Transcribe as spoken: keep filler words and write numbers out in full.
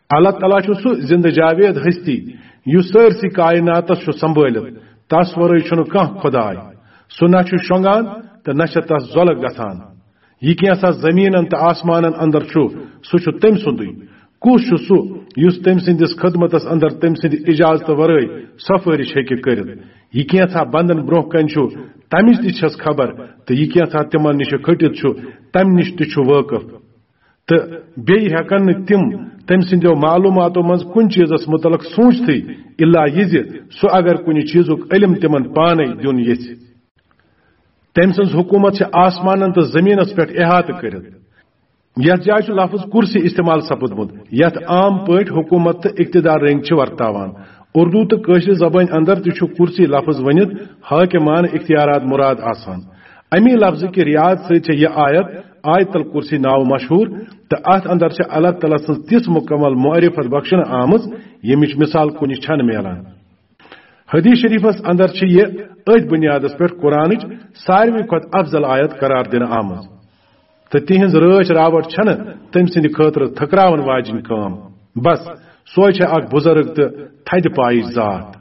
اللہ تعالیٰ چھُ سُہ زندٕ جاوید ہستی، یُس سٲرسٕے کائناتس چھُ سنبھٲلِتھ۔ تس ورٲے چھُنہٕ کانٛہہ خداے۔ سُہ نہ چھُ شۄنٛگان تہٕ نہ چھِ تس زۄلگ گژھان۔ یہِ کینٛژھا زٔمیٖنن تہٕ آسمانن اندر چھُ، سُہ چھُ تٔمۍ سُنٛدُے۔ کُس چھُ سُہ، یُس تٔمۍ سٕنٛدِس خدمتس اندر تٔمۍ سٕنٛدِ اجازتہٕ ورٲے سفٲرِش ہیٚکہِ کٔرِتھ؟ یہِ کینٛژھا بندن برٛونٛہہ کنہِ چھُ، تمِچ تہِ چھَس خبر، تہٕ یہِ کینٛژھا تِمن نِش کھٔٹِتھ چھُ، تمہِ نِش تہِ چھُ وٲقف۔ تہٕ بیٚیہِ ہٮ۪کن نہٕ تِم تٔمۍ سٕنٛدیو معلوٗماتو منٛز کُنہِ چیٖزس مُتعلق سوٗنٛچتھٕے، الا یہِ زِ سُہ اگر کُنہِ چیٖزُک علم تِمن پانے دیُن یژھِ۔ تٔمۍ سٕنٛز حکوٗمت چھِ آسمانن تہٕ زٔمیٖنس پٮ۪ٹھ احاطہٕ کٔرِتھ۔ یتھ جایہِ چھُ لفظ کرسی استعمال سپُدمُت، یتھ عام پٲٹھۍ حکوٗمت تہٕ اقتدار رٔنٛگۍ چھِ ورتاوان۔ اردو تہٕ کٲشرِ زبٲنۍ اندر تہِ چھُ کرسی لفظ ؤنِتھ حاکمانہٕ اختیارات مراد آسان۔ امی لفظہٕ کہِ رعایت سۭتۍ چھےٚ یہِ آیت آیت الکرسی ناوٕ مشہوٗر، تہٕ اتھ اندر چھِ اللہ تعالیٰ سٕنٛز تِژھ مکمل معرفت بخشنہٕ آمٕژ، ییٚمِچ مثال کُنہِ چھنہٕ میلان۔ حدیث شریفس اندر چھِ یہِ أتھۍ بنیادس پٮ۪ٹھ قرآنٕچ ساروی کھۄتہٕ افضل آیت قرار دِنہٕ آمٕژ۔ تہٕ تِہنٛز رٲچھ راوٹھ چھنہٕ تٔمۍ سٕنٛدِ خٲطرٕ تھکراون واجِنۍ کٲم۔ بس، سۄے چھےٚ اکھ بزرگ تہٕ تھدِ پایِچ ذات۔